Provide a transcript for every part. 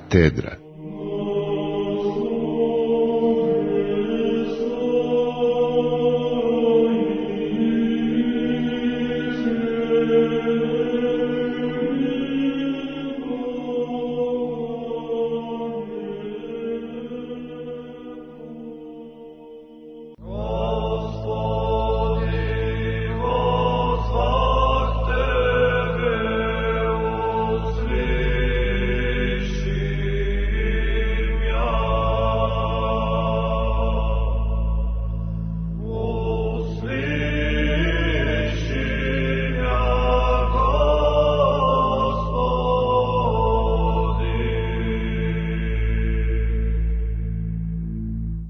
katedra.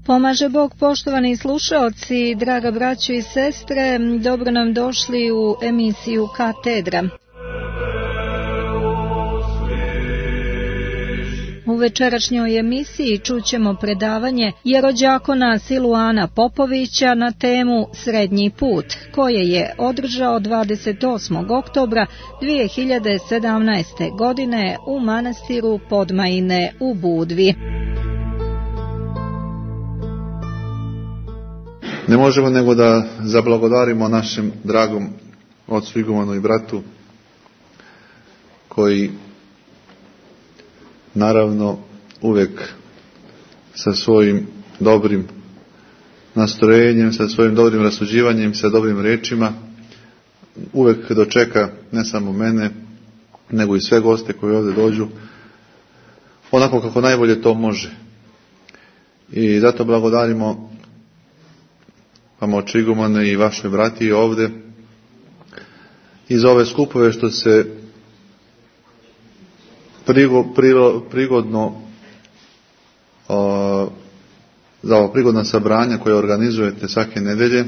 Pomaže Bog, poštovani slušaoci, draga braćo i sestre, dobro nam došli u emisiju Katedra. U večerašnjoj emisiji čućemo predavanje jerođakona Siluana Popovića na temu Srednji put, koje je održao 28. oktobra 2017. godine u manastiru Podmajine u Budvi. Ne možemo nego da zablagodarimo našem dragom ocu igumanu i bratu koji naravno uvijek sa svojim dobrim nastrojenjem, sa svojim dobrim rasuđivanjem, sa dobrim riječima uvijek dočeka ne samo mene nego i sve goste koji ovdje dođu onako kako najbolje to može. I zato blagodarimo vama oče igumane i vašoj brati ovdje i za ove skupove što se prigodno za ovo prigodna sabranja koje organizujete svake nedelje.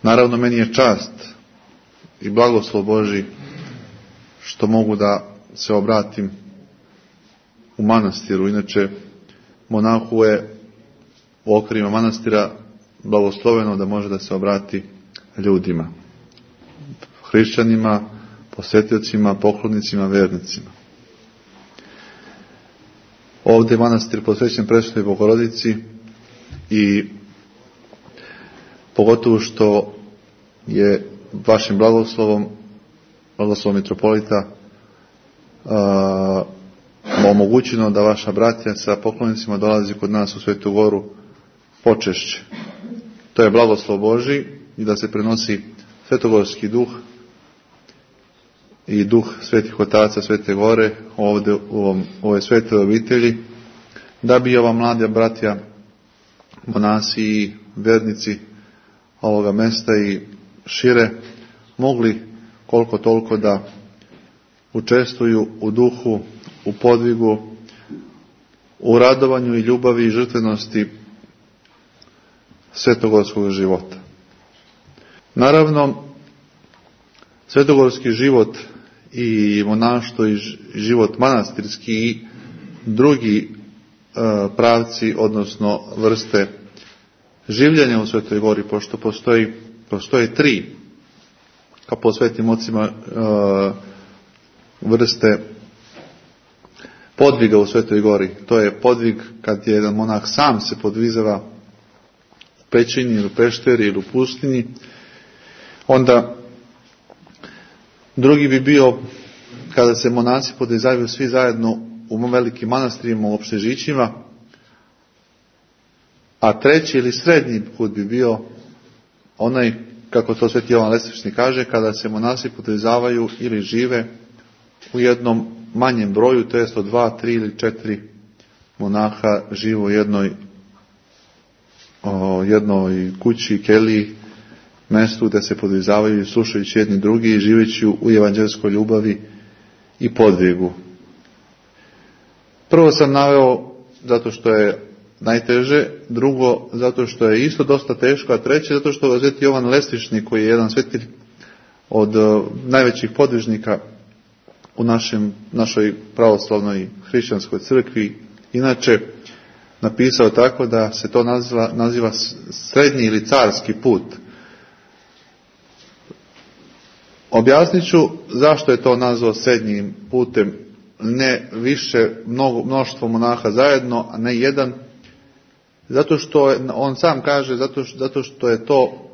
Naravno, meni je čast i blagoslov Božji što mogu da se obratim u manastiru. Inače, monahu je u okvirima manastira blagosloveno da može da se obrati ljudima, hrišćanima, posjetiocima, poklonnicima, vernicima. Ovdje je manastir posvećen Presvetoj Bogorodici i pogotovo što je vašim blagoslovom mitropolita omogućeno da vaša bratija sa poklonnicima dolazi kod nas u Svetu Goru počešće. To je blagoslov Božji i da se prenosi svetogorski duh i duh svetih otaca Svete Gore ovdje u ovoj svetoj obitelji, da bi ova mlada bratija, monasi i vernici ovoga mesta i šire mogli koliko toliko da učestvuju u duhu, u podvigu, u radovanju i ljubavi i žrtvenosti svetogorskog života. Naravno, svetogorski život i monaštvo i život manastirski i drugi pravci, odnosno vrste življenja u Svetoj Gori, pošto postoje tri, kao po svetim ocima, vrste podviga u Svetoj Gori. To je podvig kad je jedan monah sam se podvizava u pećini ili u pešteri ili u pustinji. Onda drugi bi bio kada se monasi podvizavaju svi zajedno u velikim manastirima, u opštežićima. A treći ili srednji put bi bio onaj, kako to Sveti Jovan Lesvični kaže, kada se monasi podvizavaju ili žive u jednom manjem broju, to jest od 2, 3 ili 4 monaha žive u jednoj kući, keliji, mjestu gdje se podvizavaju slušajući jedni drugi i živeći u evanđelskoj ljubavi i podvigu. Prvo sam naveo zato što je najteže, drugo zato što je isto dosta teško, a treće zato što Sveti Jovan Lesvični, koji je jedan svetilj od najvećih podvižnika u našoj pravoslavnoj hrišćanskoj crkvi, inače napisao tako da se to naziva srednji ili carski put. Objasnit ću zašto je to nazvao srednjim putem ne više mnoštvo monaha zajedno, a ne jedan, zato što on sam kaže, zato što je to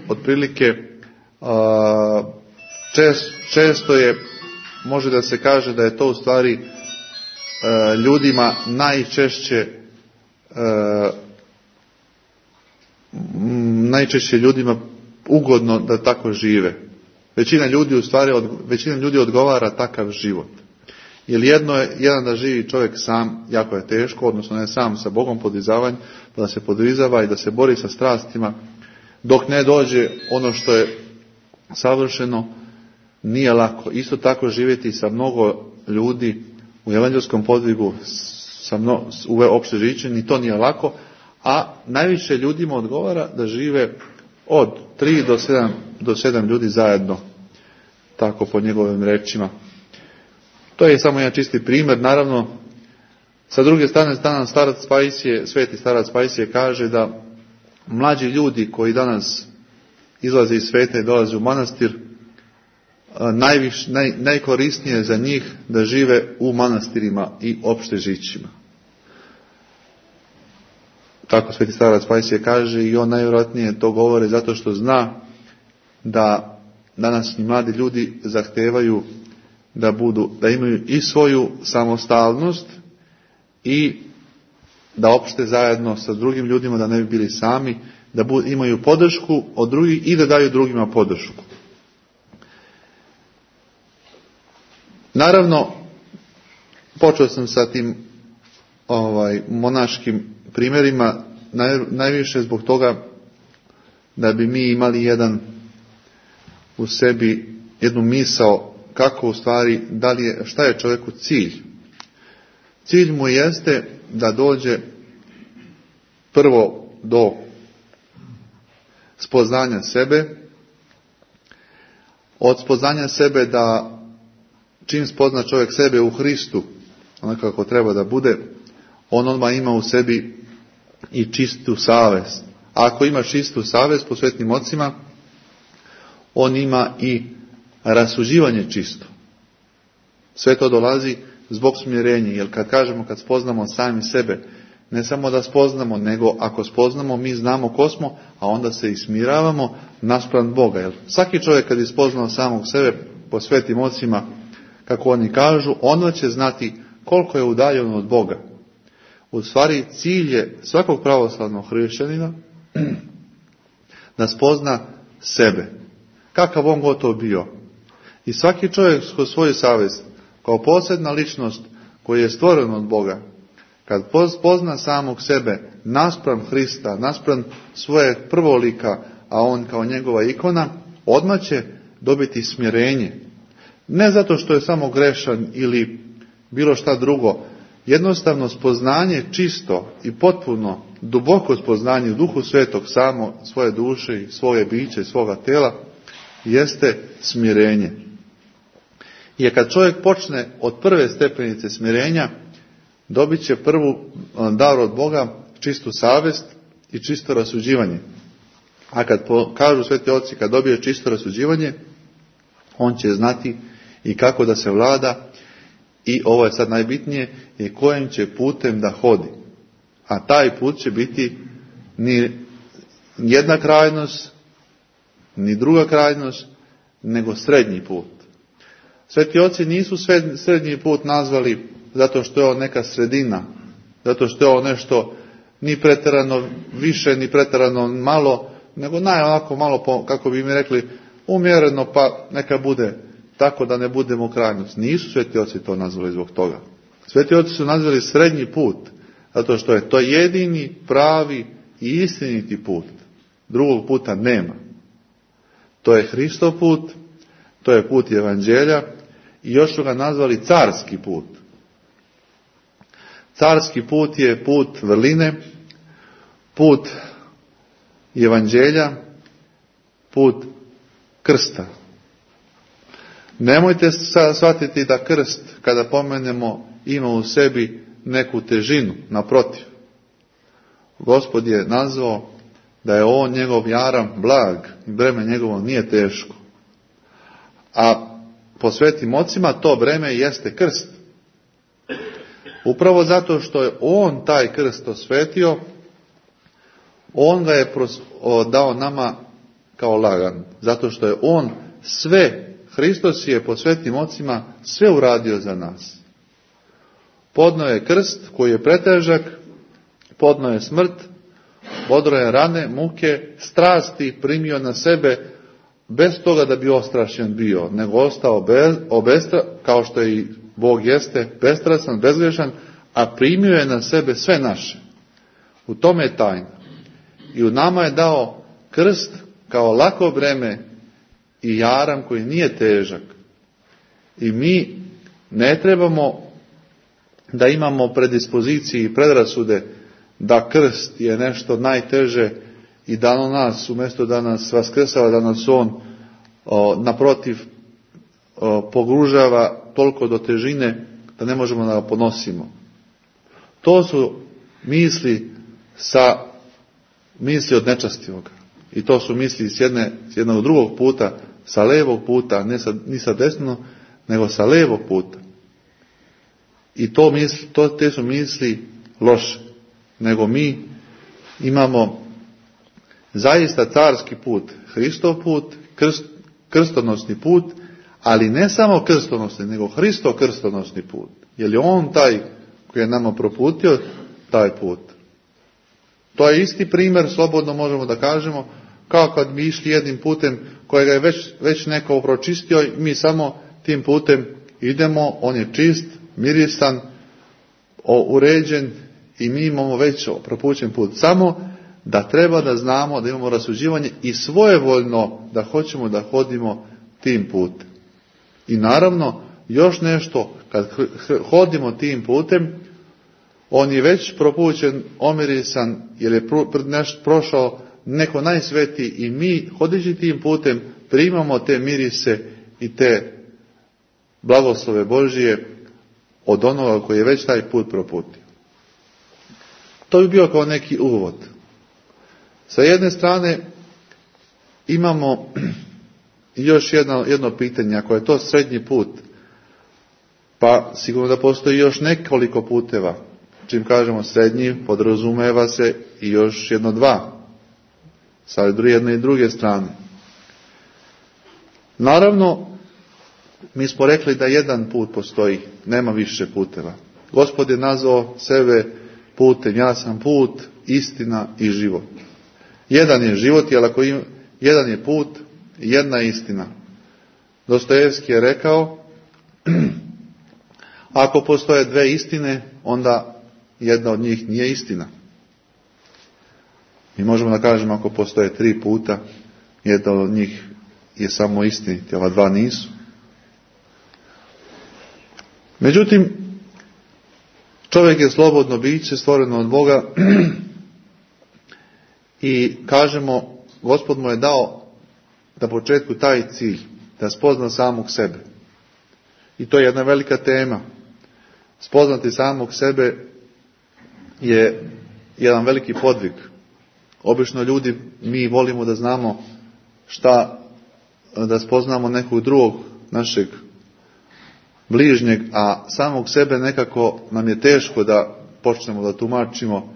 otprilike često je, može da se kaže da je to u stvari ljudima najčešće ljudima ugodno da tako žive. Većina ljudi odgovara takav život. Jer jedan da živi čovjek sam, jako je teško, odnosno ne sam sa Bogom da se podrizava i da se bori sa strastima, dok ne dođe ono što je savršeno, nije lako. Isto tako živjeti sa mnogo ljudi u evanđelskom podvigu, u opšte žiće, ni to nije lako, a najviše ljudima odgovara da žive od 3 do 7 ljudi zajedno, tako po njegovim rečima. To je samo jedan čisti primjer. Naravno, sa druge strane, sveti starac Pajsije kaže da mlađi ljudi koji danas izlaze iz sveta i dolaze u manastir, najkorisnije je za njih da žive u manastirima i opšte žićima. Tako sveti starac Pajsije kaže, i on najvjerojatnije to govori zato što zna da današnji mladi ljudi zahtevaju da imaju i svoju samostalnost i da opšte zajedno sa drugim ljudima, da ne bi bili sami, da imaju podršku od drugih i da daju drugima podršku. Naravno, počeo sam sa tim monaškim primjerima najviše zbog toga da bi mi imali u sebi jednu misao kako u stvari, šta je čovjeku cilj. Cilj mu jeste da dođe prvo do spoznanja sebe, od spoznanja sebe da čim spozna čovjek sebe u Hristu, onako kako treba da bude, on odmah ima u sebi i čistu savest. A ako ima čistu savest po svetnim ocima, on ima i rasuđivanje čisto. Sve to dolazi zbog smirenja, jer kad spoznamo sami sebe, ne samo da spoznamo, nego ako spoznamo, mi znamo ko smo, a onda se i smiravamo naspram Boga. Jer svaki čovjek kad je spoznao samog sebe po svetim ocima, kako oni kažu, onda će znati koliko je udaljen od Boga. U stvari, cilj je svakog pravoslavnog hrišćanina da spozna sebe. Kakav on gotov bio. I svaki čovjek kroz svoju savjest, kao posebna ličnost koja je stvoren od Boga, kad pozna samog sebe naspram Hrista, naspram svoje prvolika, a on kao njegova ikona, odmah će dobiti smirenje. Ne zato što je samo grešan ili bilo šta drugo, jednostavno spoznanje čisto i potpuno, duboko spoznanje u Duhu Svetog samo svoje duše i svoje biće i svoga tela, jeste smirenje. Jer kad čovjek počne od prve stepenice smirenja, dobit će prvu dar od Boga, čistu savjest i čisto rasuđivanje. A kad kažu sveti oci, kad dobije čisto rasuđivanje, on će znati i kako da se vlada, i ovo je sad najbitnije, i kojim će putem da hodi. A taj put će biti ni jedna krajnost, ni druga krajnost, nego srednji put. Sveti oci nisu srednji put nazvali zato što je on neka sredina, zato što je on nešto ni pretjerano više, ni pretjerano malo, nego onako malo, kako bi mi rekli, umjereno, pa neka bude tako da ne budemo krajnost. Nisu sveti oci to nazvali zbog toga. Sveti oci su nazvali srednji put, zato što je to jedini, pravi i istiniti put. Drugog puta nema. To je Hristov put, to je put evanđelja i još su ga nazvali carski put. Carski put je put vrline, put evanđelja, put krsta. Nemojte shvatiti da krst, kada pomenemo, ima u sebi neku težinu, naprotiv. Gospod je nazvao da je on njegov jaram blag i breme njegovo nije teško. A po svetim ocima, to breme jeste krst. Upravo zato što je on taj krst osvetio, on ga je dao nama kao lagan. Zato što je on sve, Hristos je po svetim ocima sve uradio za nas. Podnio je krst koji je pretežak, podnio je smrt, bodro je rane, muke, strasti primio na sebe, bez toga da bi ostrašen bio, nego ostao kao što i Bog jeste, bestrasan, bezgrešan, a primio je na sebe sve naše. U tome je tajna. I u nama je dao krst kao lako breme i jaram koji nije težak. I mi ne trebamo da imamo predispoziciji i predrasude da krst je nešto najteže i da on nas, umjesto da nas vaskrsava, da nas on naprotiv pogružava toliko do težine da ne možemo da ga ponosimo. To su misli od nečastivoga. I to su misli s jednog drugog puta, sa levog puta, ni sa desnog, nego sa levog puta. I te su misli loše. Nego mi imamo zaista carski put, Hristov put, krstonosni put, ali ne samo krstonosni, nego Hristov krstonosni put. Jer je on taj koji je nama proputio taj put. To je isti primjer, slobodno možemo da kažemo, kao kad mi išli jednim putem kojega je već neko pročistio i mi samo tim putem idemo, on je čist, mirisan, uređen i mi imamo već propućen put. Samo da treba da znamo da imamo rasuđivanje i svojevoljno da hoćemo da hodimo tim putem. I naravno, još nešto, kad hodimo tim putem, on je već propućen, omirisan, jer je prošao neko najsvetiji i mi, hodeći tim putem, primamo te mirise i te blagoslove Božije od onoga koji je već taj put proputio. To bi bio kao neki uvod. Sa jedne strane imamo još jedno pitanje, ako je to srednji put, pa sigurno da postoji još nekoliko puteva. Čim kažemo srednji, podrazumeva se i još dva, sa jedne i druge strane. Naravno, mi smo rekli da jedan put postoji, nema više puteva. Gospod je nazvao sebe putem, ja sam put, istina i život. Jedan je život, jer jedan je put, jedna istina. Dostojevski je rekao, ako postoje dve istine, onda jedna od njih nije istina. Mi možemo da kažemo, ako postoje tri puta, jedna od njih je samo istiniti, ova dva nisu. Međutim, čovjek je slobodno biće, stvoreno od Boga i kažemo, Gospod mu je dao na početku taj cilj, da spozna samog sebe. I to je jedna velika tema. Spoznati samog sebe je jedan veliki podvig. Obično ljudi, mi volimo da znamo da spoznamo nekog drugog našeg bližnjeg, a samog sebe nekako nam je teško da počnemo da tumačimo,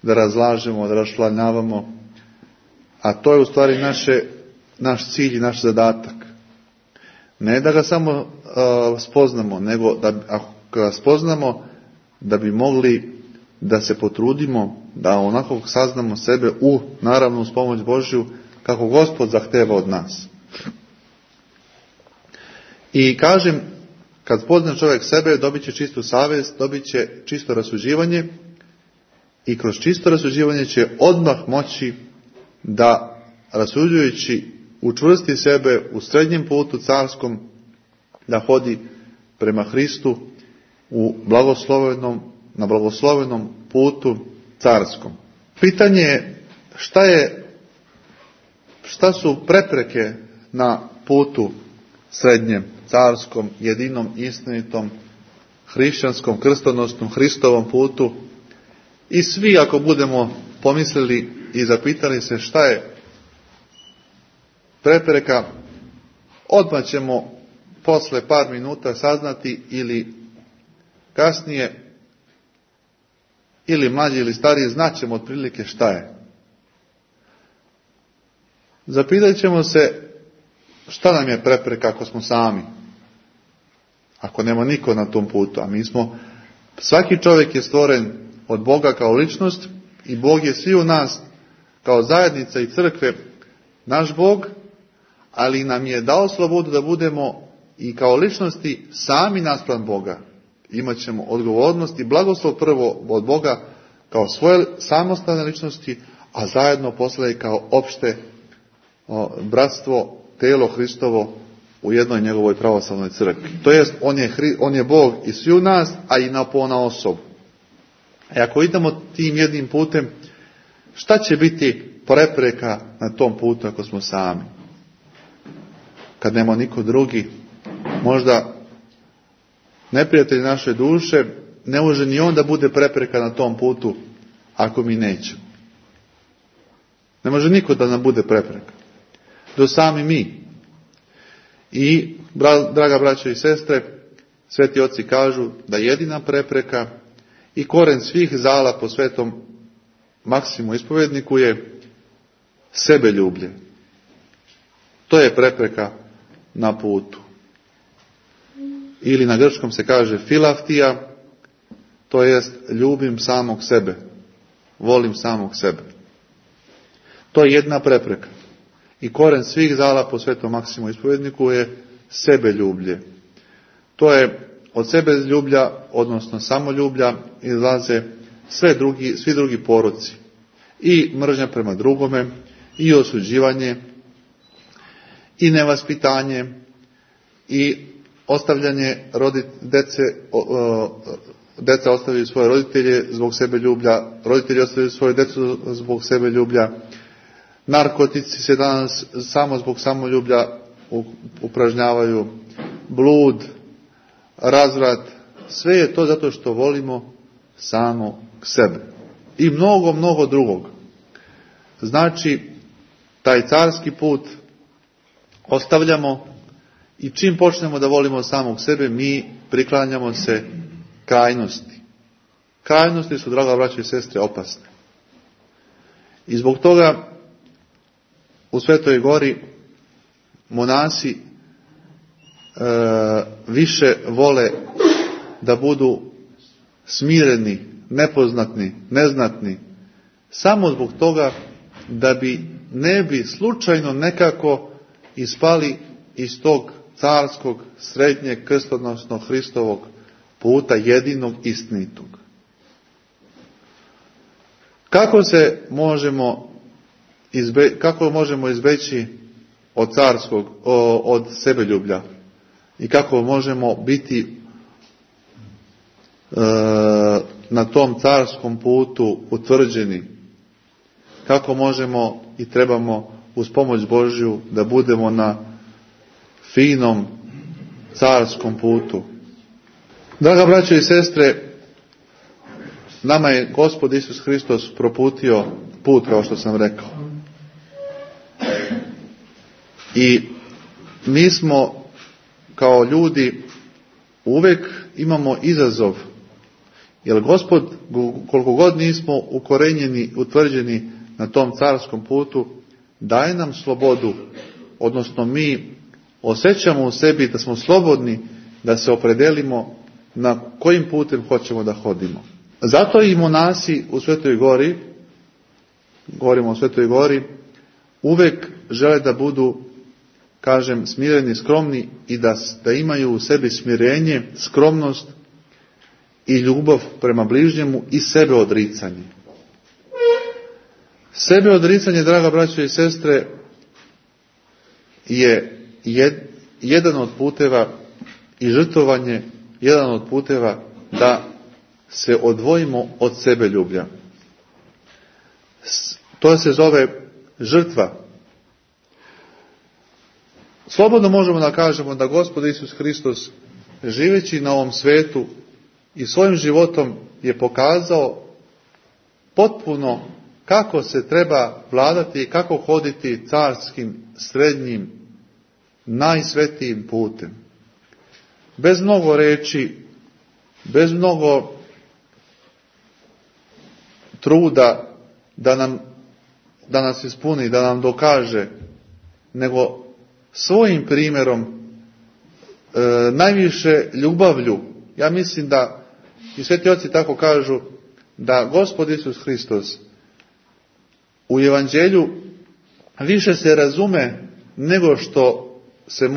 da razlažemo, da raščlanjavamo, a to je u stvari naš cilj i naš zadatak. Ne da ga samo spoznamo, nego da ako ga spoznamo, da bi mogli da se potrudimo, da onako saznamo sebe naravno uz pomoć Božju, kako Gospod zahteva od nas. I kažem, kad spozna čovjek sebe, dobit će čistu savjest, dobit će čisto rasuđivanje i kroz čisto rasuđivanje će odmah moći da, rasuđujući, učvrsti sebe u srednjem putu carskom, da hodi prema Hristu na blagoslovenom putu carskom. Pitanje je šta su prepreke na putu srednjem, carskom, jedinom, istinitom, hrišćanskom, krstonosnom, Hristovom putu. I svi, ako budemo pomislili i zapitali se šta je prepreka, odmah ćemo posle par minuta saznati ili kasnije, ili mlađi ili stariji, znaćemo otprilike šta je. Zapitat ćemo se šta nam je prepreka ako smo sami. Ako nema niko na tom putu, a mi smo, svaki čovjek je stvoren od Boga kao ličnost i Bog je svi u nas kao zajednica i crkve naš Bog, ali nam je dao slobodu da budemo i kao ličnosti sami naspram Boga. Imaćemo odgovornost i blagoslov prvo od Boga kao svoje samostalne ličnosti, a zajedno posle i kao opšte bratstvo, telo Hristovo u jednoj njegovoj pravoslavnoj crkvi. To jest, on je Bog i svi u nas, a i na ponaosob. A ako idemo tim jednim putem, šta će biti prepreka na tom putu ako smo sami? Kad nema niko drugi, možda neprijatelj naše duše, ne može ni on da bude prepreka na tom putu ako mi nećemo. Ne može niko da nam bude prepreka. Do sami mi. I, draga braćo i sestre, sveti oci kažu da jedina prepreka i koren svih zala po svetom Maksimu ispovedniku je sebeljublje. To je prepreka na putu. Ili na grčkom se kaže filaftija, to jest ljubim samog sebe, volim samog sebe. To je jedna prepreka. I koren svih zala po svetom Maksimu ispovedniku je sebeljublje. To je od sebeljublja, odnosno samoljublja, izlaze svi drugi poroci. I mržnja prema drugome, i osuđivanje, i nevaspitanje, i ostavljanje deca ostavljaju svoje roditelje zbog sebeljublja, roditelji ostavljaju svoje djecu zbog sebeljublja, narkotici se danas samo zbog samoljublja upražnjavaju, blud, razvrat, sve je to zato što volimo samo sebe. I mnogo, mnogo drugog. Znači, taj carski put ostavljamo i čim počnemo da volimo samog sebe, mi priklanjamo se krajnosti. Krajnosti su, draga braćo i sestre, opasne. I zbog toga u Svetoj Gori monasi više vole da budu smireni, nepoznatni, neznatni, samo zbog toga da ne bi slučajno nekako ispali iz tog carskog, srednjeg, krstonosnog Hristovog puta, jedinog istinitog. Kako možemo izbeći od sebeljublja i kako možemo biti na tom carskom putu utvrđeni, kako možemo i trebamo uz pomoć Božju da budemo na finom carskom putu. Draga braćo i sestre, nama je Gospod Isus Hristos proputio put, kao što sam rekao. I mi smo kao ljudi uvijek imamo izazov, jer Gospod, koliko god nismo ukorenjeni, utvrđeni na tom carskom putu, daje nam slobodu, odnosno mi osjećamo u sebi da smo slobodni da se opredelimo na kojim putem hoćemo da hodimo. Zato i monasi u Svetoj Gori, govorimo o Svetoj Gori, uvijek žele da budu, kažem, smireni, skromni i da imaju u sebi smirenje, skromnost i ljubav prema bližnjemu i sebe odricanje. Sebe odricanje, draga braćo i sestre, je jedan od puteva i žrtvovanje, jedan od puteva da se odvojimo od sebeljublja. To se zove žrtva. Slobodno možemo da kažemo da Gospod Isus Hristos, živeći na ovom svetu i svojim životom, je pokazao potpuno kako se treba vladati i kako hoditi carskim, srednjim, najsvetijim putem. bez mnogo reči, bez mnogo truda da nas ispuni, da nam dokaže, nego svojim primjerom, najviše ljubavlju. Ja mislim da, i sveti oci tako kažu, da Gospod Isus Hristos u evanđelju više se razume nego što se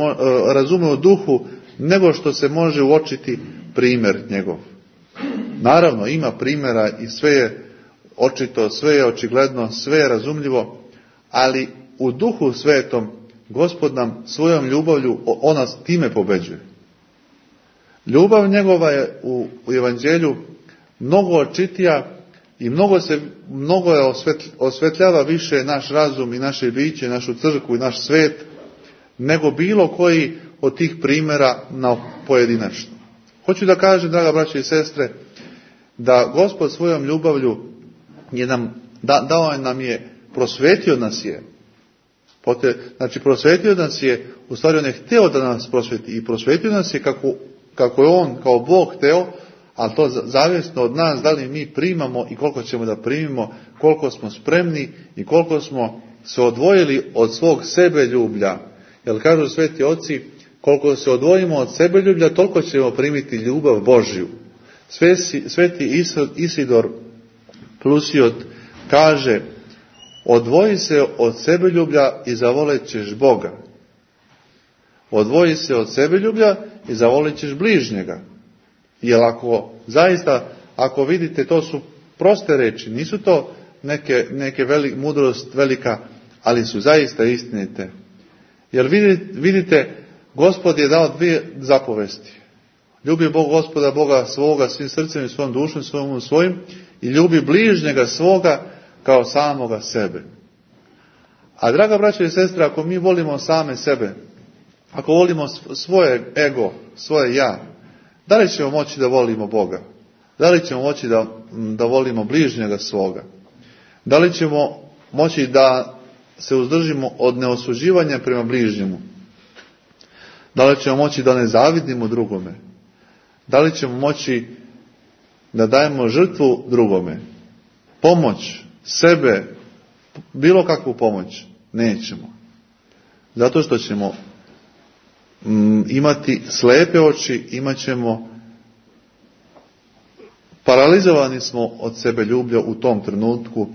razume u duhu, nego što se može uočiti primjer njegov. Naravno, ima primjera i sve je očito, sve je očigledno, sve je razumljivo, ali u duhu svetom Gospod nam svojom ljubavlju, on nas time pobeđuje. Ljubav njegova je u evanđelju mnogo očitija i mnogo je osvetljava više naš razum i naše biće, našu crkvu i naš svet, nego bilo koji od tih primjera na pojedinačno. Hoću da kažem, draga braće i sestre, da Gospod svojom ljubavlju je dao nam je, prosvetio nas je. Znači, prosvetio nas je, u stvari on je hteo da nas prosveti i prosvetio nas je kako je on, kao Bog hteo, ali to zavisno od nas, da li mi primamo i koliko ćemo da primimo, koliko smo spremni i koliko smo se odvojili od svog sebeljublja. Jer kažu sveti oci, koliko se odvojimo od sebeljublja, toliko ćemo primiti ljubav Božju. Sveti Isidor Plusiot kaže, odvoji se od sebeljublja i zavolit ćeš Boga. Odvoji se od sebeljublja i zavolit ćeš bližnjega. Jer ako vidite, to su proste reči, nisu to neke mudrost velika, ali su zaista istinite. Jer vidite, Gospod je dao dvije zapovesti. Ljubi Bog Gospoda Boga svoga svim srcem i svojom dušom, svojim i ljubi bližnjega svoga kao samoga sebe. A draga braćo i sestre, ako mi volimo same sebe, ako volimo svoje ego, svoje ja, da li ćemo moći da volimo Boga? Da li ćemo moći da volimo bližnjega svoga? Da li ćemo moći da se uzdržimo od neosuđivanja prema bližnjemu? Da li ćemo moći da ne zavidimo drugome? Da li ćemo moći da dajemo žrtvu drugome? Pomoć sebe, bilo kakvu pomoć, nećemo. Zato što ćemo imati slepe oči, imat ćemo, paralizovani smo od sebe ljublja u tom trenutku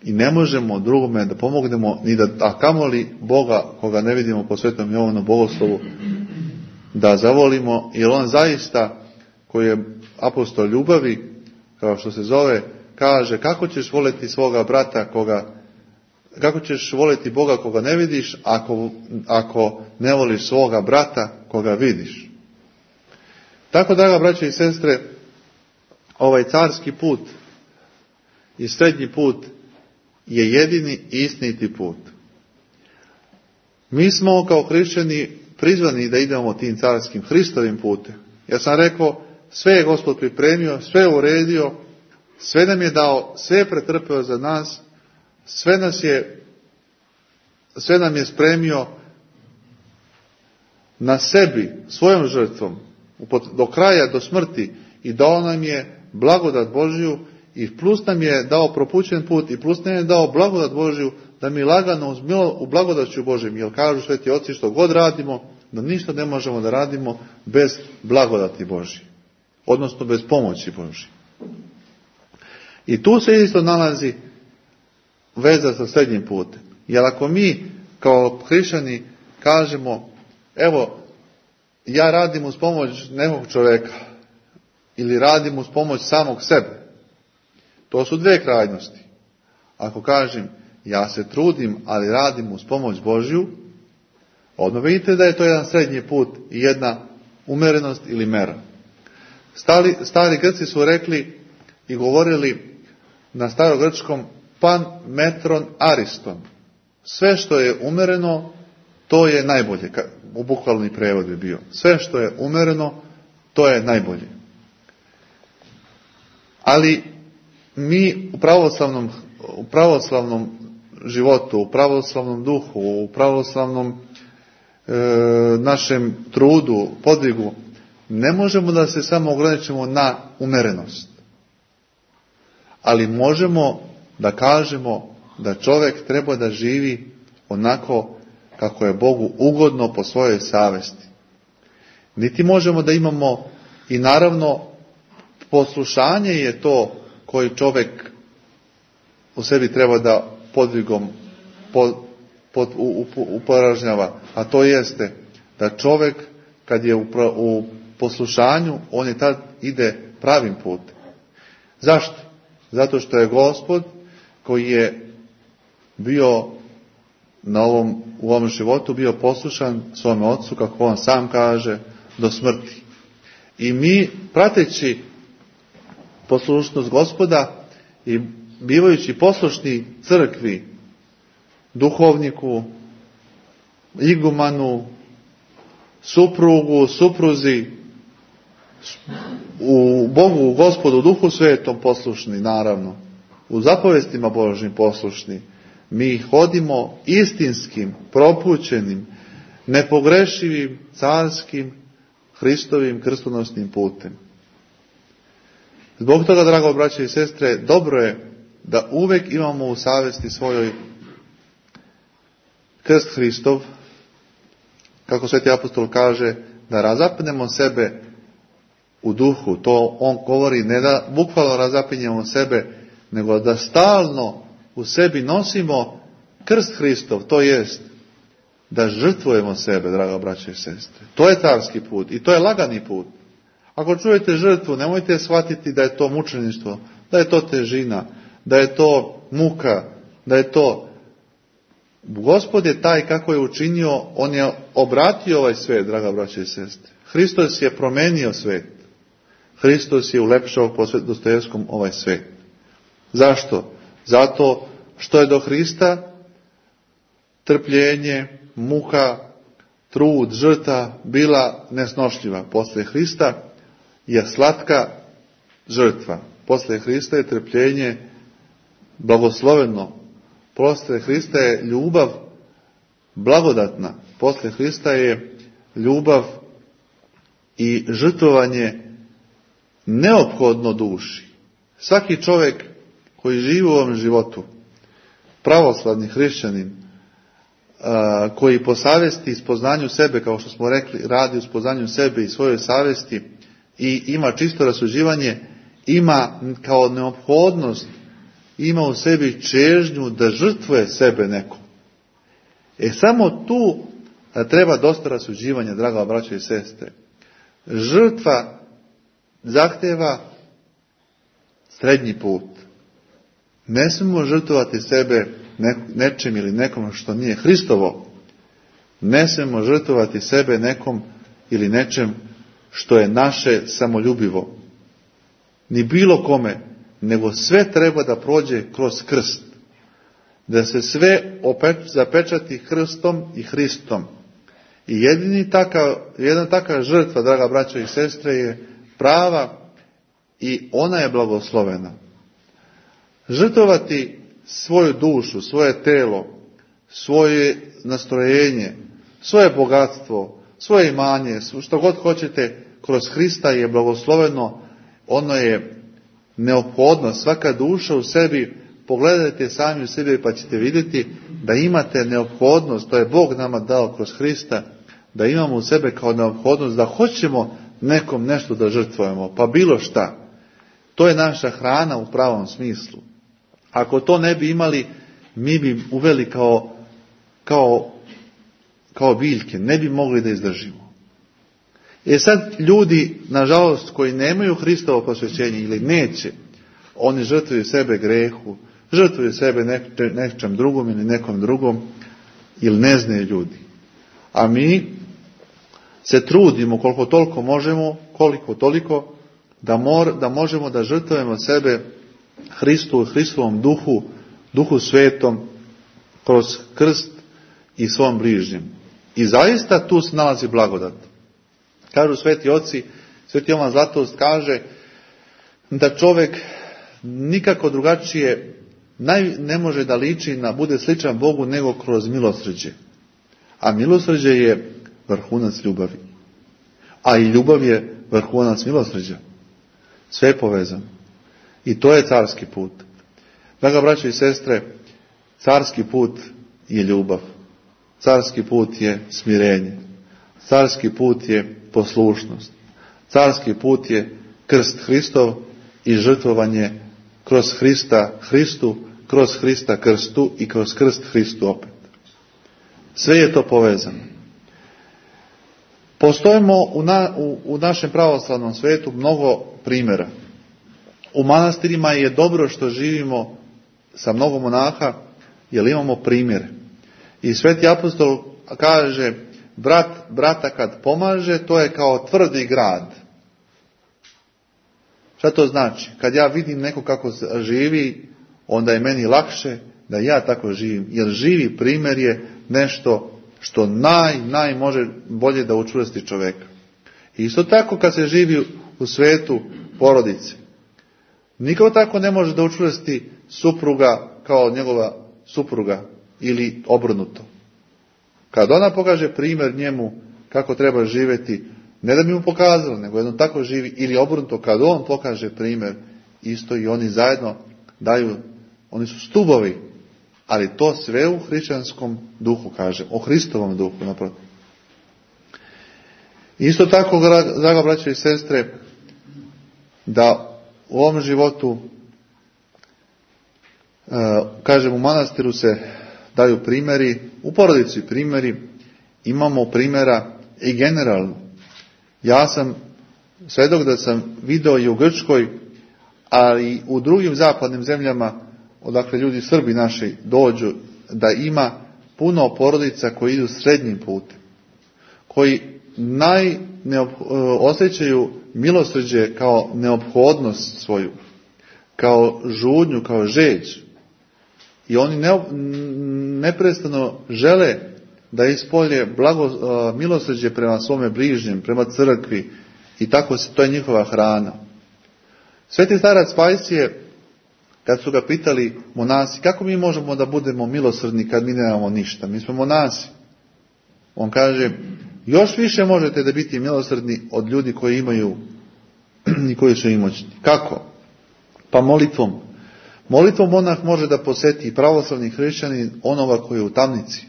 i ne možemo drugome da pomognemo, ni a kamoli Boga, koga ne vidimo po Svetom Jovanom bogoslovu, da zavolimo, jer on zaista, koji je apostol ljubavi, kao što se zove, kaže, kako ćeš voliti svoga brata kako ćeš voliti Boga koga ne vidiš, ako ne voliš svoga brata koga vidiš. Tako, draga braće i sestre, ovaj carski put i srednji put je jedini istiniti put. Mi smo kao hrišćani prizvani da idemo tim carskim Hristovim putem. Ja sam rekao, sve je Gospod pripremio, sve je uredio, sve nam je dao, sve je pretrpeo za nas, sve nam je spremio na sebi, svojom žrtvom, do kraja, do smrti, i dao nam je blagodat Božju, i plus nam je dao propućen put, i plus nam je dao blagodat Božju, da mi lagano u blagodaću Božjem, jer kažu sveti oci, što god radimo, da ništa ne možemo da radimo bez blagodati Božje, odnosno bez pomoći Božje. I tu se isto nalazi veza sa srednjim putem. Jer ako mi kao hrišćani kažemo, evo, ja radim uz pomoć nekog čovjeka ili radim uz pomoć samog sebe, to su dve krajnosti. Ako kažem, ja se trudim, ali radim uz pomoć Božju, odmah vidite da je to jedan srednji put i jedna umerenost ili mera. Stari Grci su rekli i govorili na starogrčkom pan, metron, ariston. Sve što je umereno, to je najbolje. U bukvalni prevod bi bio. Sve što je umereno, to je najbolje. Ali mi u pravoslavnom životu, u pravoslavnom duhu, u pravoslavnom našem trudu, podvigu, ne možemo da se samo ograničimo na umerenost. Ali možemo da kažemo da čovjek treba da živi onako kako je Bogu ugodno po svojoj savesti. Niti možemo da imamo, i naravno poslušanje je to koji čovjek u sebi treba da podvigom uporažnjava, a to jeste da čovjek kad je u poslušanju, on je tad ide pravim putem. Zašto? Zato što je Gospod koji je bio u ovom životu bio poslušan svome Otcu, kako on sam kaže, do smrti. I mi, prateći poslušnost Gospoda i bivajući poslušni crkvi, duhovniku, igumanu, suprugu, supruzi, u Bogu, u Gospodu, u Duhu Svetom poslušni, naravno, u zapovestima Božjim poslušni, mi hodimo istinskim, propućenim, nepogrešivim, carskim, Hristovim krstonosnim putem. Zbog toga, drago braće i sestre, dobro je da uvek imamo u savesti svojoj krst Hristov, kako sveti apostol kaže, da razapnemo sebe u duhu. To on govori, ne da bukvalno razapinjemo sebe, nego da stalno u sebi nosimo krst Hristov, to jest da žrtvujemo sebe, draga braće i sestre. To je carski put i to je lagani put. Ako čujete žrtvu, nemojte shvatiti da je to mučeništvo, da je to težina, da je to muka, da je to... Gospod je taj kako je učinio, on je obratio ovaj svijet, draga braće i sestre. Hristos je promenio svijet. Hristos je ulepšao po Dostojevskom ovaj svijet. Zašto? Zato što je do Hrista trpljenje, muka, trud, žrtva bila nesnošljiva. Posle Hrista je slatka žrtva. Posle Hrista je trpljenje blagosloveno. Posle Hrista je ljubav blagodatna. Posle Hrista je ljubav i žrtvovanje neophodno duši. Svaki čovjek koji živi u ovom životu, pravoslavni hrišćanin, koji po savesti i spoznanju sebe, kao što smo rekli, radi u spoznanju sebe i svojoj savesti i ima čisto rasuđivanje, ima kao neophodnost, ima u sebi čežnju da žrtvuje sebe nekom. Samo tu treba dosta rasuđivanja, draga braćo i sestre. Žrtva zahteva srednji put. Ne smemo žrtvovati sebe nečim ili nekom što nije Hristovo. Ne smemo žrtvovati sebe nekom ili nečem što je naše samoljubivo. Ni bilo kome, nego sve treba da prođe kroz krst. Da se sve zapečati krstom i Hristom. I jedna taka žrtva, draga braćo i sestre, je prava i ona je blagoslovena. Žrtvovati svoju dušu, svoje telo, svoje nastrojenje, svoje bogatstvo, svoje imanje, što god hoćete, kroz Hrista je blagosloveno, ono je neophodno. Svaka duša u sebi, pogledajte sami u sebi pa ćete vidjeti da imate neophodnost, to je Bog nama dao kroz Hrista, da imamo u sebe kao neophodnost da hoćemo nekom nešto da žrtvujemo, pa bilo šta. To je naša hrana u pravom smislu. Ako to ne bi imali, mi bi uveli kao biljke, ne bi mogli da izdržimo. Sad ljudi, nažalost, koji nemaju Hristovo posvećenje ili neće, oni žrtvuju sebe grehu, žrtvuju sebe nečem drugom ili nekom drugom, ili ne znaju ljudi. A mi se trudimo koliko toliko možemo, koliko toliko, da možemo da žrtvujemo sebe Hristu, Hristovom duhu svetom, kroz krst i svom bližnjem. I zaista tu se nalazi blagodat. Kažu sveti oci, sveti Jovan Zlatoust kaže da čovjek nikako drugačije ne može da liči bude sličan Bogu nego kroz milosrđe. A milosrđe je vrhunac ljubavi. A i ljubav je vrhunac milosrđa. Sve je povezano. I to je carski put. Draga braćo i sestre, carski put je ljubav. Carski put je smirenje. Carski put je poslušnost. Carski put je krst Hristov i žrtvovanje kroz Hrista Hristu, kroz Hrista krstu i kroz krst Hristu opet. Sve je to povezano. Postojimo u našem pravoslavnom svetu mnogo primjera. U manastirima je dobro što živimo sa mnogo monaha, jer imamo primjere. I sveti apostol kaže, brat brata kad pomaže, to je kao tvrdi grad. Šta to znači? Kad ja vidim neko kako živi, onda je meni lakše da ja tako živim. Jer živi primjer je nešto što naj može bolje da učvrsti čovjeka. I isto tako kad se živi u svetu porodice. Niko tako ne može da učvrsti supruga kao njegova supruga ili obrnuto. Kad ona pokaže primjer njemu kako treba živjeti, ne da bi mu pokazala, nego jedno tako živi, ili obrnuto, kad on pokaže primjer, isto i oni zajedno daju, oni su stubovi, ali to sve u hrišćanskom duhu, kažem, o Hristovom duhu, naprotiv. Isto tako, draga braćo i sestre, da u ovom životu, kažem, u manastiru se daju primjeri, u porodici primjeri, imamo primjera i generalno. Ja sam svjedok da sam video i u Grčkoj, ali i u drugim zapadnim zemljama, odakle ljudi Srbi naši dođu, da ima puno porodica koji idu srednjim putem, koji osjećaju milosrđe kao neophodnost svoju, kao žudnju, kao žeđ. I oni neprestano žele da ispolje milosrđe prema svome bližnjem, prema crkvi, i tako to je njihova hrana. Sveti starac Pajsije, kad su ga pitali monasi, kako mi možemo da budemo milosrdni kad mi nemamo ništa, mi smo monasi. On kaže, još više možete da biti milosrdni od ljudi koji imaju i koji su imućni. Kako? Pa molitvom. Molitvom monah može da posjeti pravoslavni hrišćanin onoga koji je u tamnici.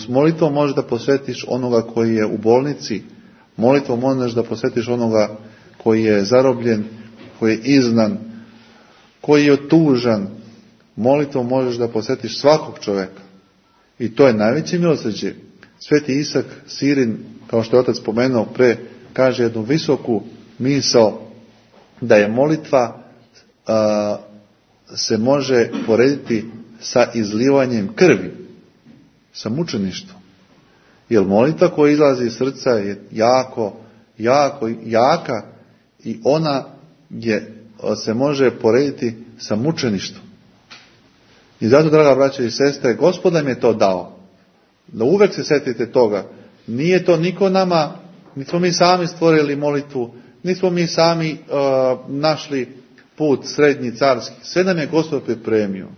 Molitvom možeš da posvetiš onoga koji je u bolnici. Molitvom možeš da posvetiš onoga koji je zarobljen, koji je izgnan, koji je tužan. Molitvom možeš da posvetiš svakog čovjeka. I to je najveće milosrđe. Sveti Isak Sirin, kao što je otac spomenuo pre, kaže jednu visoku misao, da je molitva se može porediti sa izlivanjem krvi, sa mučeništvom. Jer molitva koja izlazi iz srca je jaka i ona se može porediti sa mučeništvom. I zato, draga braća i sestre, Gospod nam je to dao. Da uvek se setite toga. Nije to niko nama, nismo mi sami stvorili molitvu, nismo mi sami našli put srednji carski. Sve nam je Gospod pripremio.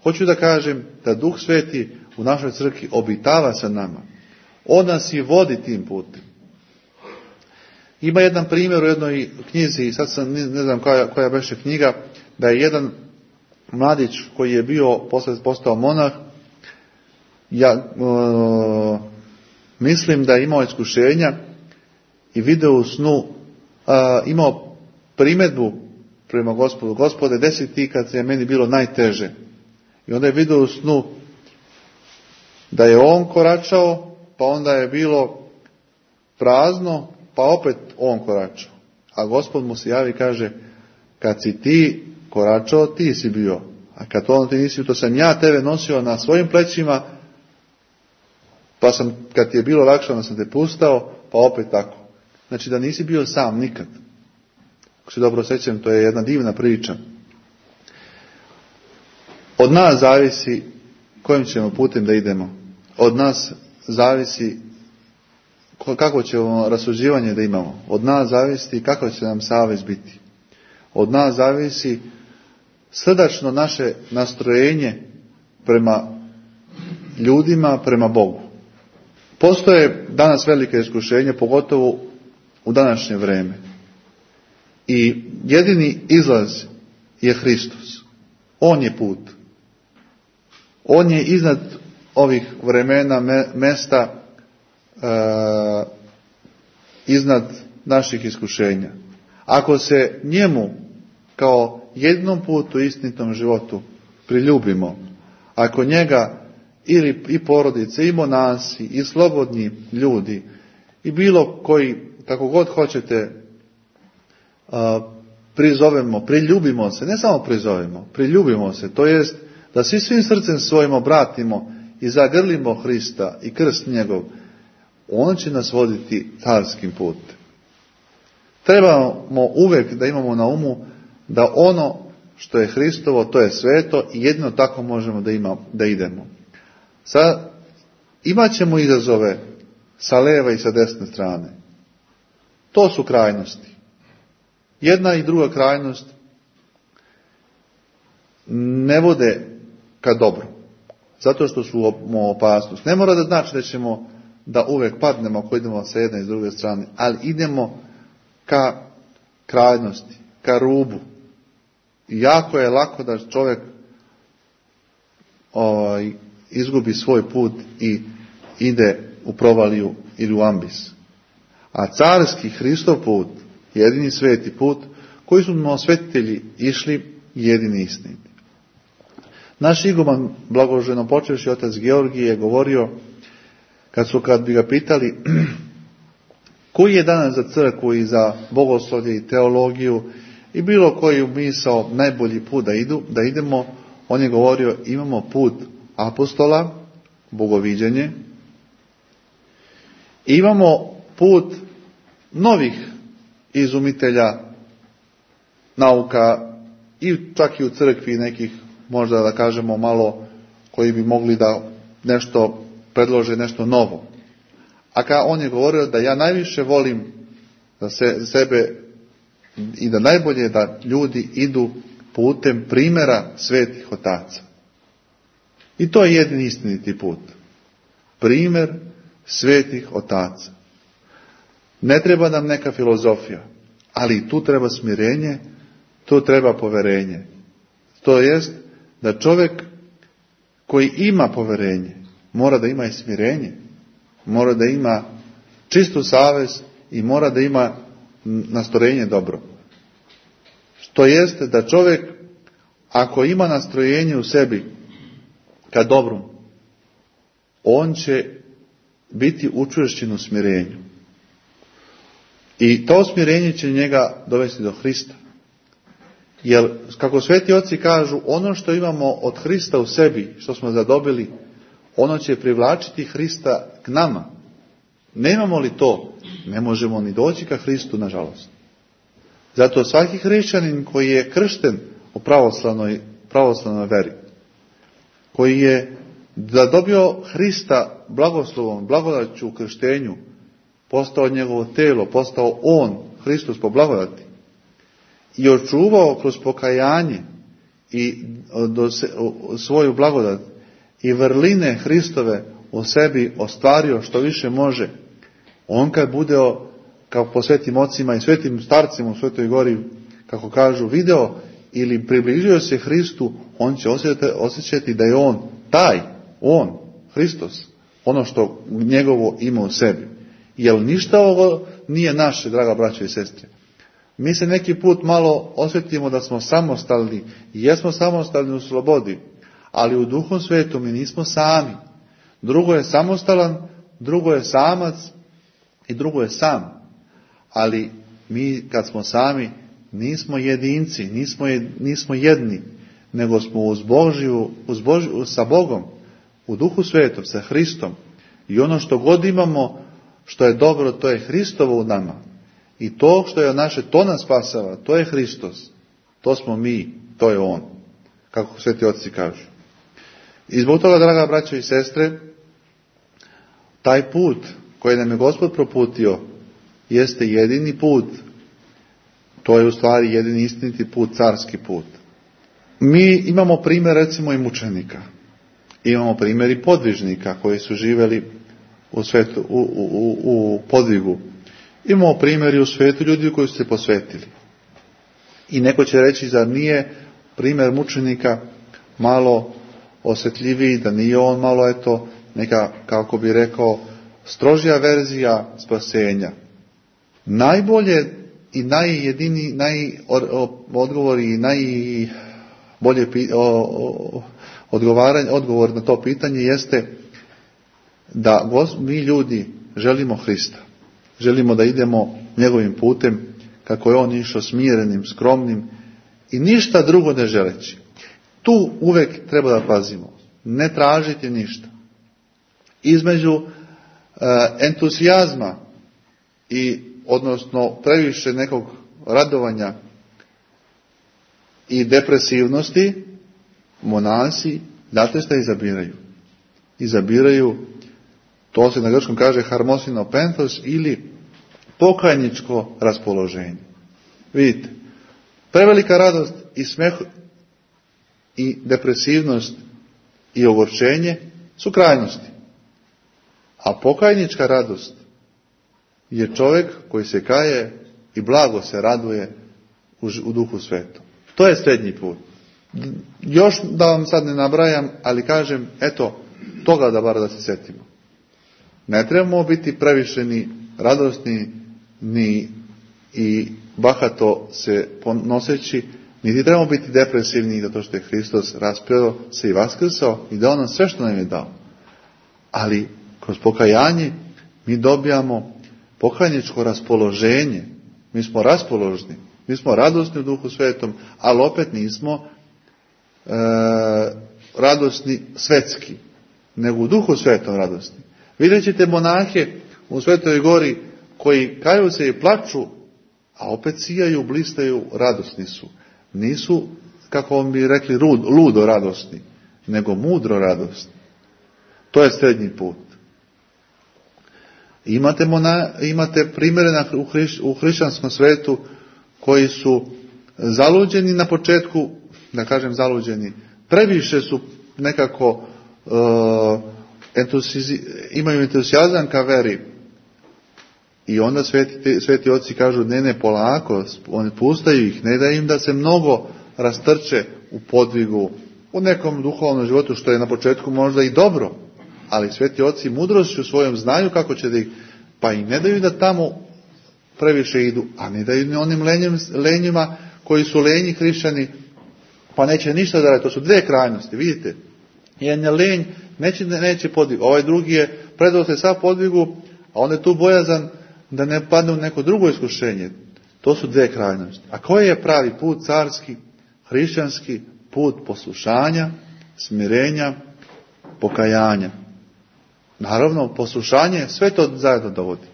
Hoću da kažem da Duh Sveti u našoj crkvi obitava sa nama. On nas i vodi tim putem. Ima jedan primjer u jednoj knjizi, sad sam ne znam koja beše knjiga, da je jedan mladić koji je bio postao monah, mislim da je imao iskušenja i video u snu, imao primjedbu prema Gospodu. Gospode, desi ti kad je meni bilo najteže. I onda je video u snu da je on koračao, pa onda je bilo prazno, pa opet on koračao. A Gospod mu se javi i kaže, kad si ti koračao, ti si bio. A kad on ti nisi, to sam ja tebe nosio na svojim plećima, pa kad ti je bilo lakše, onda sam te pustao, pa opet tako. Znači da nisi bio sam nikad. Ako se dobro sjećam, to je jedna divna priča. Od nas zavisi kojim ćemo putem da idemo. Od nas zavisi kako ćemo rasuđivanje da imamo. Od nas zavisi kako će nam savez biti. Od nas zavisi srdačno naše nastrojenje prema ljudima, prema Bogu. Postoje danas velike iskušenje, pogotovo u današnje vrijeme. I jedini izlaz je Hristos. On je put. On je iznad ovih vremena, mesta, iznad naših iskušenja. Ako se njemu kao jedinom putu istinitom životu priljubimo, ako njega ili i porodice, i monasi, i slobodni ljudi, i bilo koji, kako god hoćete, prizovemo, priljubimo se, ne samo prizovemo, priljubimo se, to jest da svim srcem svojim obratimo i zagrlimo Hrista i krst njegov, on će nas voditi carskim putem. Trebamo uvijek da imamo na umu da ono što je Hristovo, to je sveto i jedino tako možemo da idemo. Sad, imat ćemo izazove sa lijeve i sa desne strane. To su krajnosti. Jedna i druga krajnost ne vode ka dobru. Zato što su opasnost. Ne mora da znači da ćemo da uvijek padnemo ako idemo sa jedne i s druge strane, ali idemo ka krajnosti, ka rubu. I jako je lako da čovjek izgubi svoj put i ide u provaliju ili u ambis. A carski Hristov put, jedini sveti put, koji su svetitelji išli, jedini istiniti. Naš iguman, blagoženo počevši otac Georgije, je govorio, kad bi ga pitali koji je danas za crkvu i za bogoslovlje i teologiju i bilo koji misao najbolji put da idemo, on je govorio, imamo put apostola, bogoviđenje, i imamo put novih izumitelja nauka i čak i u crkvi nekih, možda da kažemo malo, koji bi mogli da nešto predlože, nešto novo. A on je govorio da ja najviše volim da sebe i da najbolje da ljudi idu putem primjera svetih otaca. I to je jedini istiniti put. Primjer svetih otaca. Ne treba nam neka filozofija, ali tu treba smirenje, tu treba poverenje. To jest da čovjek koji ima poverenje mora da ima i smirenje, mora da ima čistu savest i mora da ima nastrojenje dobro. To jeste da čovjek, ako ima nastrojenje u sebi ka dobru, on će biti učvršćen u smirenju. I to smirenje će njega dovesti do Hrista. Jer, kako sveti oci kažu, ono što imamo od Hrista u sebi, što smo zadobili, ono će privlačiti Hrista k nama. Nemamo li to, ne možemo ni doći ka Hristu, nažalost. Zato svaki hrišćanin koji je kršten u pravoslavnoj veri, koji je zadobio Hrista blagoslovom, blagodaću u krštenju, postao njegovo telo, postao on, Hristos po blagodati, i očuvao kroz pokajanje i svoju blagodat i vrline Hristove u sebi ostvario što više može, on kad bude, kao po svetim ocima i svetim starcima u Svetoj Gori, kako kažu, video ili približio se Hristu, on će osjećati da je on, Hristos, ono što njegovo ima u sebi. Jer ništa ovo nije naše, draga braćo i sestre. Mi se neki put malo osjetimo da smo samostalni i jesmo samostalni u slobodi, ali u Duhu Svetom mi nismo sami. Drugo je samostalan, drugo je samac i drugo je sam. Ali mi kad smo sami nismo jedinci, nismo jedni, nego smo sa Bogom, u Duhu Svetom, sa Hristom. I ono što god imamo, što je dobro, to je Hristovo u nama. I to što je naše, to nas spasava, to je Hristos. To smo mi, to je On. Kako sveti oci kažu. I zbog toga, draga braćo i sestre, taj put koji nam je Gospod proputio jeste jedini put. To je u stvari jedini istiniti put, carski put. Mi imamo primjer, recimo, i mučenika. Imamo primjer i podvižnika koji su živjeli u podvigu. Imamo primjer u svijetu ljudi koji su se posvetili. I neko će reći da nije primjer mučenika malo osjetljiviji, da nije on malo neka, kako bi rekao, strožija verzija spasenja. Najbolje i odgovor i najbolje odgovor na to pitanje jeste da mi ljudi želimo Hrista. Želimo da idemo njegovim putem kako je on išao, smirenim, skromnim i ništa drugo ne želeći. Tu uvijek treba da pazimo. Ne tražiti ništa. Između entuzijazma i odnosno previše nekog radovanja i depresivnosti, monasi, znate šta izabiraju? Izabiraju, to se na grčkom kaže harmosinopenthos ili pokajničko raspoloženje. Vidite, prevelika radost i smeh i depresivnost i ogorčenje su krajnosti. A pokajnička radost je čovjek koji se kaje i blago se raduje u Duhu Svetom. To je srednji put. Još da vam sad ne nabrajam, ali kažem, toga da bar da se sjetimo. Ne trebamo biti previše ni radosni, ni i bahato se ponoseći, niti trebamo biti depresivni zato što je Hristos raspeo se i vaskrsao i dao nam sve što nam je dao. Ali kroz pokajanje mi dobijamo pokajničko raspoloženje. Mi smo raspoložni, mi smo radosni u Duhu Svetom, ali opet nismo radosni svetski, nego u Duhu Svetom radosni. Vidjet ćete monahe u Svetoj Gori koji kaju se i plaču, a opet sijaju, blistaju, radosni su. Nisu, kako vam bi rekli, ludo radosni, nego mudro radosni. To je srednji put. Imate primjere u hrišćanskom svetu koji su zaluđeni na početku, da kažem zaluđeni, previše su nekako imaju entuzijazam ka veri. I onda sveti oci kažu ne polako, oni pustaju ih, ne da im da se mnogo rastrče u podvigu, u nekom duhovnom životu, što je na početku možda i dobro, ali sveti oci mudrošću svojom znaju kako će da ih, pa i ne daju da tamo previše idu, a ne daju ni onim lenjima koji su lenji hrišćani, pa neće ništa da radi. To su dve krajnosti, vidite. Jedan je lenj, neće podvigu, ovaj drugi je predao se sav podvigu, a onda je tu bojazan da ne padne u neko drugo iskušenje. To su dve krajnosti. A koji je pravi put carski, hrišćanski put poslušanja, smirenja, pokajanja? Naravno, poslušanje sve to zajedno dovodi.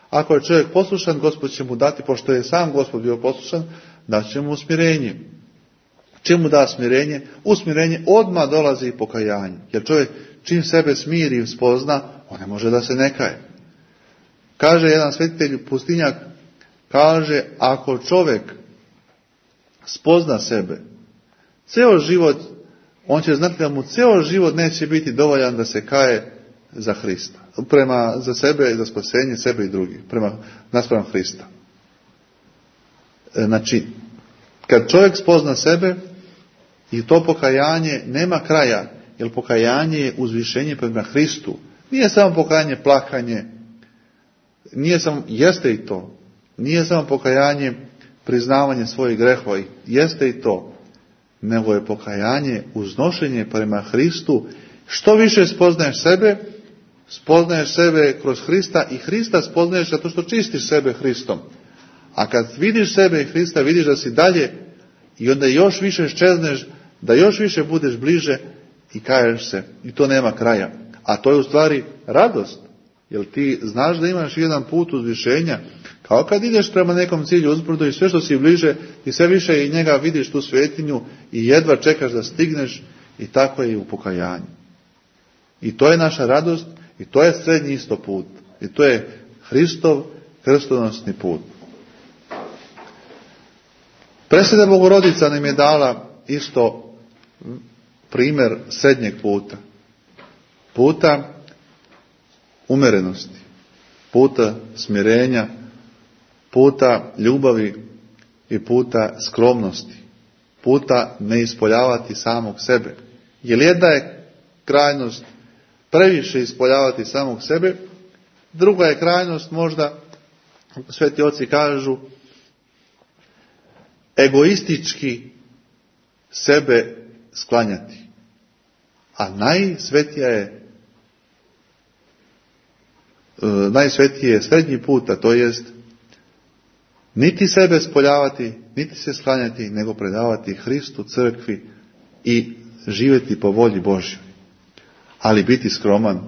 Ako je čovjek poslušan, Gospod će mu dati, pošto je sam Gospod bio poslušan, daće mu smirenje. Čim mu da smirenje? U smirenje odmah dolazi i pokajanje. Jer čovjek čim sebe smiri i spozna, on ne može da se ne kaje. Kaže jedan svetitelj pustinjak, kaže, ako čovjek spozna sebe, ceo život, on će znati da mu ceo život neće biti dovoljan da se kaje za Hrista. Za sebe i za spasenje sebe i drugih. Naspram Hrista. Znači, kad čovjek spozna sebe i to pokajanje nema kraja, jer pokajanje je uzvišenje prema Hristu. Nije samo pokajanje plakanje, jeste i to. Nije samo pokajanje priznavanje svojih grehova, jeste i to. Nego je pokajanje uznošenje prema Hristu. Što više spoznaješ sebe kroz Hrista i Hrista spoznaješ zato što čistiš sebe Hristom. A kad vidiš sebe i Hrista, vidiš da si dalje i onda još više ščezneš, da još više budeš bliže i kaješ se. I to nema kraja. A to je u stvari radost. Jer ti znaš da imaš jedan put uzvišenja. Kao kad ideš prema nekom cilju uzbrdo i sve što si bliže i sve više i njega vidiš tu svetinju i jedva čekaš da stigneš i tako je i u pokajanju. I to je naša radost i to je srednji isto put. I to je Hristov krstonosni put. Presveta Bogorodica nam je dala isto primjer srednjeg puta. Puta umerenosti, puta smirenja, puta ljubavi i puta skromnosti, puta ne ispoljavati samog sebe. Jer jedna je krajnost previše ispoljavati samog sebe, druga je krajnost možda, sveti oci kažu, egoistički sebe sklanjati. A najsvetije je srednji put, a to jest niti sebe spoljavati, niti se sklanjati, nego predavati Hristu, crkvi i živjeti po volji Božjoj. Ali biti skroman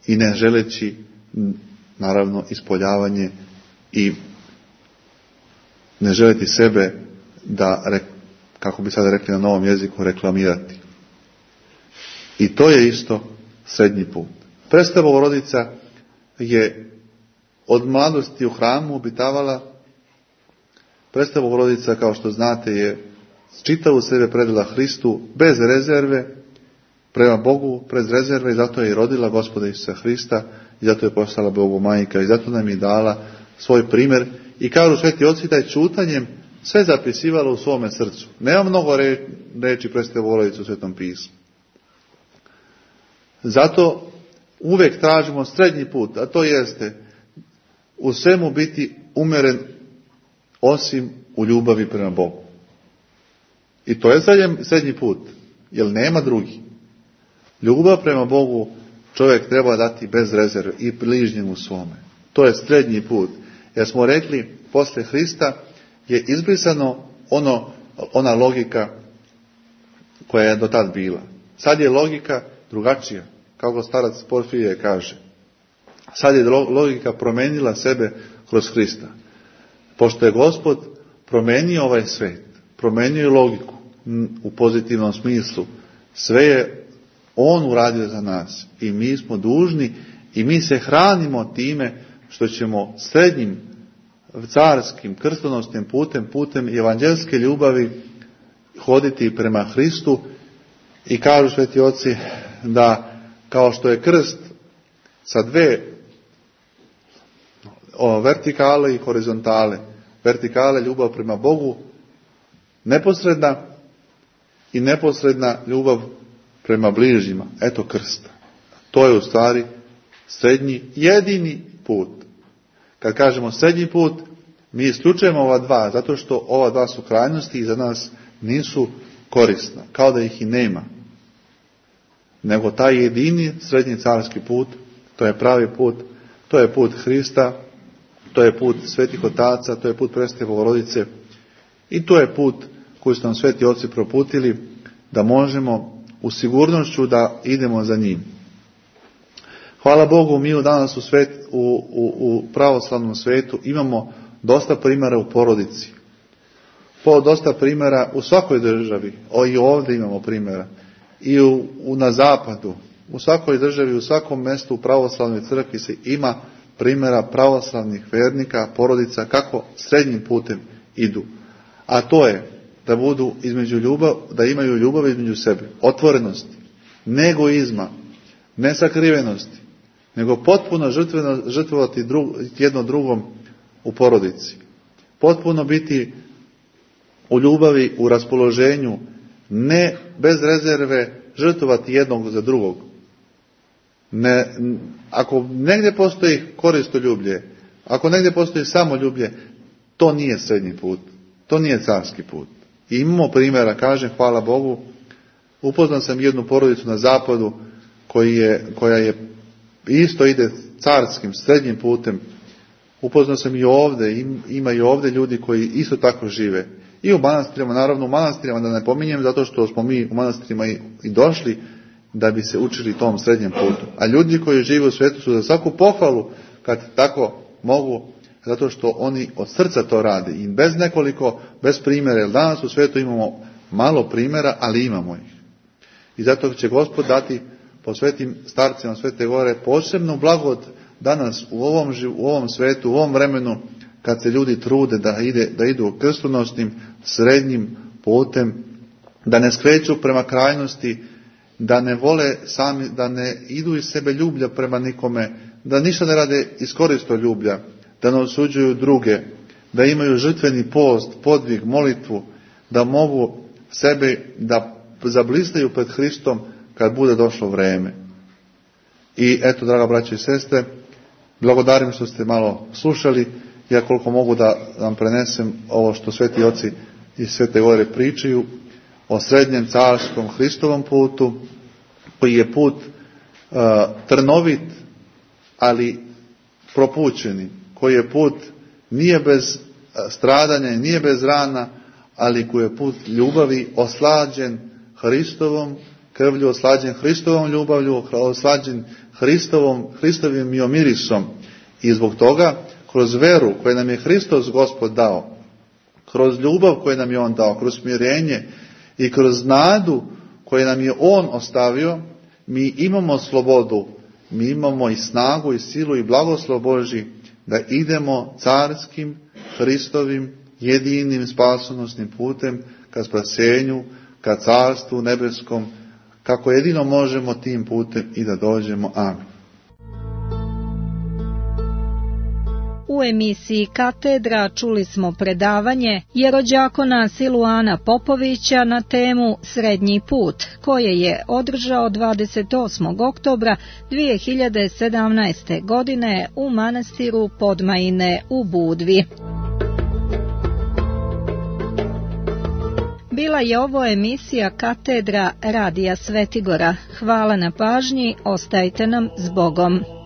i ne želeći, naravno, ispoljavanje i ne želiti sebe da, kako bi sada rekli na novom jeziku, reklamirati. I to je isto srednji put. Presveta Bogorodica je od mladosti u hramu obitavala. Presveta Bogorodica, kao što znate, je čitavu sebe predala Hristu bez rezerve, prema Bogu bez rezerve, i zato je i rodila Gospoda Isusa Hrista, i zato je postala Bogu majka, i zato nam je dala svoj primjer. I kažu sveti oci da je čutanjem sve zapisivala u svome srcu. Nema mnogo reči Presvete Bogorodice u Svetom pismu. Zato uvijek tražimo srednji put, a to jeste u svemu biti umjeren osim u ljubavi prema Bogu. I to je srednji put, jer nema drugi. Ljubav prema Bogu čovjek treba dati bez rezerve i bližnjemu svome. To je srednji put. Jer smo rekli, poslije Hrista je izbrisano ona logika koja je do tad bila. Sad je logika drugačija, kako starac Porfirije kaže. Sad je logika promijenila sebe kroz Hrista. Pošto je Gospod promijenio ovaj svet, promijenio je logiku u pozitivnom smislu, sve je On uradio za nas i mi smo dužni i mi se hranimo time što ćemo srednjim carskim krstonosnim putem evanđelske ljubavi hoditi prema Hristu. I kažu sveti oci da kao što je krst sa dve vertikale i horizontale, vertikale ljubav prema Bogu, neposredna i neposredna ljubav prema bližnjima. Eto krsta. To je u stvari srednji, jedini put. Kad kažemo srednji put, mi isključujemo ova dva, zato što ova dva su krajnosti i za nas nisu korisna, kao da ih i nema. Nego taj jedini srednji carski put, to je pravi put, to je put Hrista, to je put svetih otaca, to je put Presvete Bogorodice i to je put koji su nam sveti oci proputili da možemo u sigurnošću da idemo za njim. Hvala Bogu, mi danas u pravoslavnom svetu imamo dosta primjera u porodici. Dosta primjera u svakoj državi, i ovdje imamo primjera. I na zapadu, u svakoj državi, u svakom mjestu u pravoslavnoj crkvi se ima primjera pravoslavnih vernika, porodica, kako srednjim putem idu. A to je da budu da imaju ljubav između sebe, otvorenosti, ne egoizma, ne sakrivenosti, nego potpuno žrtvovati jedno drugom u porodici. Potpuno biti u ljubavi, u raspoloženju, ne bez rezerve žrtvovati jednog za drugog. Ako negdje postoji koristoljublje, ako negdje postoji samoljublje, to nije srednji put, to nije carski put. I imamo primjera, kažem, hvala Bogu, upoznao sam jednu porodicu na zapadu koja je isto ide carskim, srednjim putem. Upoznao sam i ovdje, ima i ovdje ljudi koji isto tako žive. I u manastirima, naravno u manastirima da ne pominjem, zato što smo mi u manastirima i došli da bi se učili tom srednjem putu. A ljudi koji žive u svijetu su za svaku pohvalu kad tako mogu, zato što oni od srca to rade i bez primjera, jer danas u svijetu imamo malo primjera, ali imamo ih. I zato će Gospod dati po svetim starcima Svete Gore posebnu blagod danas u ovom svijetu, u ovom vremenu, kad se ljudi trude da idu krstonosnim srednjim putem, da ne skreću prema krajnosti, da ne vole sami, da ne idu iz sebe ljublja prema nikome, da ništa ne rade iz koristoljublja, da ne osuđuju druge, da imaju žrtveni post, podvig, molitvu, da mogu sebe da zablistaju pred Hristom kad bude došlo vreme. I eto, draga braćo i sestre, blagodarim što ste malo slušali. Ja koliko mogu da vam prenesem ovo što sveti oci i Svete Gore pričaju o srednjem carskom Hristovom putu, koji je put trnovit, ali propućeni, koji je put nije bez stradanja i nije bez rana, ali koji je put ljubavi oslađen Hristovom krvlju, oslađen Hristovom ljubavlju, oslađen Hristovim mirisom. I zbog toga, kroz veru koju nam je Hristos Gospod dao, kroz ljubav koju nam je On dao, kroz smirenje i kroz nadu koju nam je On ostavio, mi imamo slobodu, mi imamo i snagu i silu i blagoslov Božji da idemo carskim, Hristovim, jedinim spasonosnim putem ka spasenju, ka carstvu nebeskom, kako jedino možemo tim putem i da dođemo. Amen. U emisiji Katedra čuli smo predavanje jerođakona Siluana Popovića na temu Srednji put, koje je održao 28. oktobra 2017. godine u manastiru Podmajine u Budvi. Bila je ovo emisija Katedra Radija Svetigora. Hvala na pažnji, ostajte nam s Bogom.